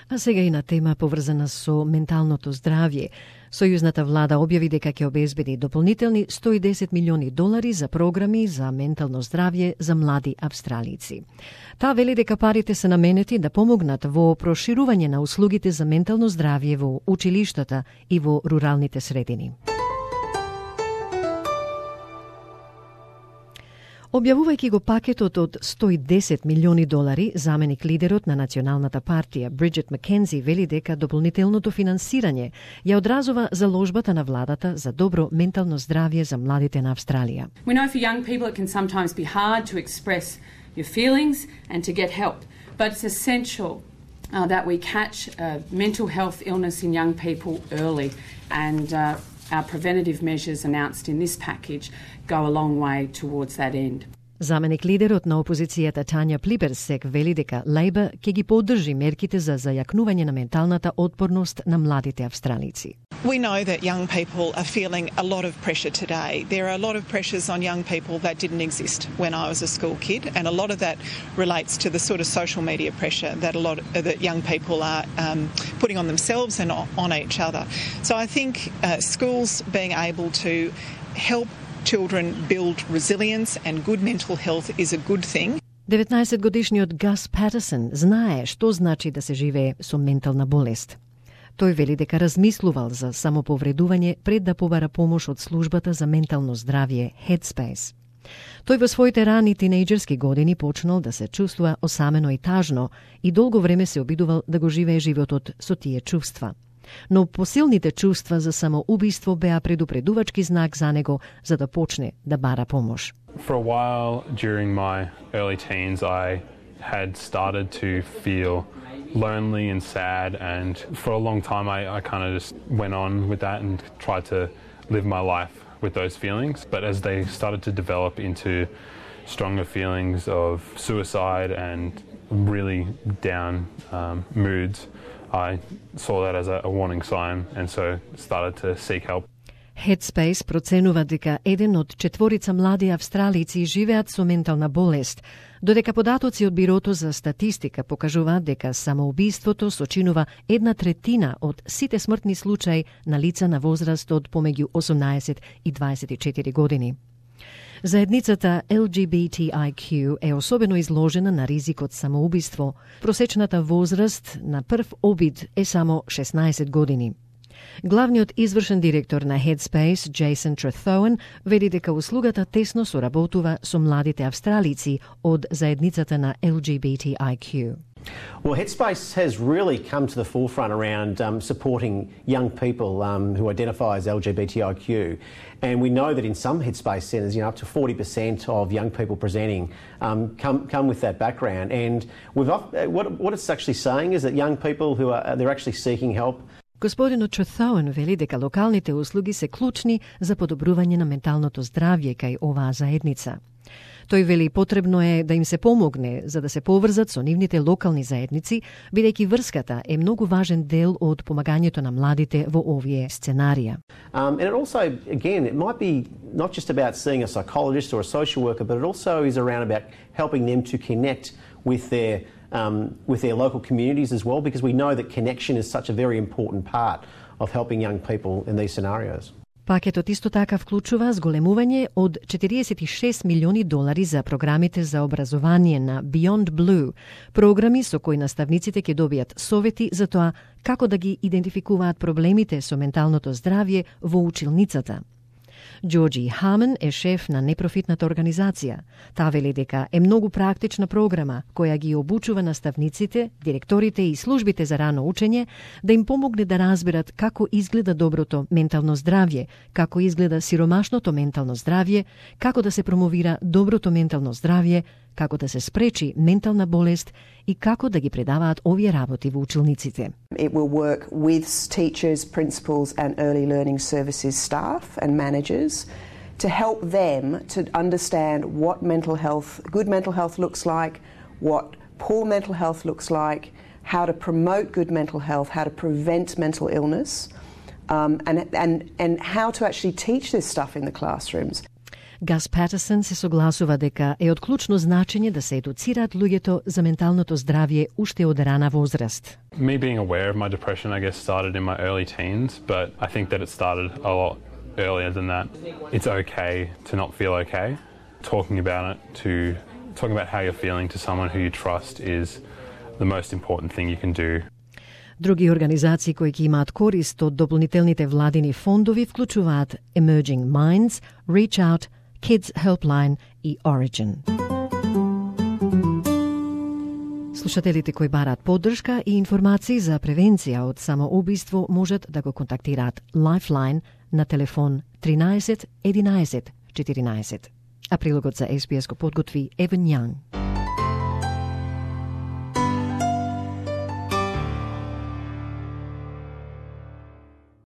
А сега и на тема поврзана со менталното здравје. Сојузната влада објави дека ќе обезбеди дополнителни $110 милиони за програми за ментално здравје за млади австралици. Таа вели дека парите се наменети да помогнат во проширување на услугите за ментално здравје во училиштата и во руралните средини. Објавувајќи го пакетот од $110 милиони, заменик лидерот на Националната партија Бриджит Маккензи вели дека дополнителното финансирање ја одразува заложбата на владата за добро ментално здравје за младите на Австралија. We know for young people it can sometimes be hard to express your feelings and to get help, but it's essential that we catch mental health illness in young people early, and our preventative measures announced in this package go a long way towards that end. Заменик лидерот на опозицијата Тања Плиберсек вели дека Лейбър ќе ги поддржи мерките за зајакнување на менталната отпорност на младите австралици. We know that young people are feeling a lot of pressure today. There are a lot of pressures on young people that didn't exist when I was a school kid, and a lot of that relates to the sort of social media pressure that young people are putting on themselves and on each other. So I think schools being able to help children build resilience and good mental health is a good thing. 19-годишниот Гас Патерсон знае што значи да се живее со ментална болест. Тој вели дека размислувал за самоповредување пред да побара помош од службата за ментално здравје Headspace. Тој во своите рани тинејџерски години почнал да се чувствува осамено и тажно и долго време се обидувал да го живее животот со тие чувства. Но посилните чувства за самоубиство беа предупредувачки знак за него за да почне да бара помош. For a while during my early teens I had started to feel lonely and sad, and for a long time I kind of just went on with that and tried to live my life with those feelings, but as they started to develop into stronger feelings of suicide and really down moods, I saw that as a warning sign and so started to seek help. Headspace проценува дека 1 од 4 млади австралици живеат со ментална болест, додека податоци од Бирото за статистика покажуваат дека самоубиството сочинува 1/3 од сите смртни случаи на лица на возраст од помеѓу 18 и 24 години. Заедницата LGBTIQ е особено изложена на ризик од самоубиство. Просечната возраст на прв обид е само 16 години. Главниот извршен директор на Headspace, Джейсон Трethоен, вели дека услугата тесно соработува со младите австралици од заедницата на LGBTIQ. Well, Headspace has really come to the forefront around supporting young people who identify as LGBTIQ. And we know that in some Headspace centres, up to 40% of young people presenting come with that background. And what it's actually saying is that young people they're actually seeking help. Господинот Трethоен вели дека локалните услуги се клучни за подобрување на менталното здравје кај оваа заедница. Тој вели потребно е да им се помогне за да се поврзат со нивните локални заедници, бидејќи врската е многу важен дел од помагањето на младите во овие сценарија. And it also, again, it might be not just about seeing a psychologist or a social worker, but it also is around about helping them to connect with their local communities as well, because we know that connection is such a very important part of helping young people in these scenarios. Пакетот исто така вклучува зголемување од $46 милиони за програмите за образование на Beyond Blue, програми со кои наставниците ќе добијат совети за тоа како да ги идентификуваат проблемите со менталното здравје во училницата. Джорджи Хамен е шеф на непрофитната организација. Таа вели дека е многу практична програма која ги обучува наставниците, директорите и службите за рано учење да им помогне да разберат како изгледа доброто ментално здравје, како изгледа сиромашното ментално здравје, како да се промовира доброто ментално здравје, како да се спречи ментална болест и како да ги предаваат овие работи во училниците. It will work with teachers, principals and early learning services staff and managers to help them to understand what good mental health looks like, what poor mental health looks like, how to promote good mental health, how to prevent mental illness, and how to actually teach this stuff in the classrooms. Гас Патерсон се согласува дека е од клучно значење да се едуцираат луѓето за менталното здравје уште од рана возраст. Me being aware of my depression, I guess, started in my early teens, but I think that it started a lot earlier than that. It's okay to not feel okay. Talking about how you're feeling to someone who you trust is the most important thing you can do. Други организации кои ќе имаат корист од дополнителните владини фондови вклучуваат Emerging Minds, Reach Out, Kids Helpline и Origin. Слушателите кои бараат поддршка и информации за превенција од самоубиство можат да го контактираат Lifeline на телефон 13 11 14. А прилогот за SBS го подготви Евен Јанг.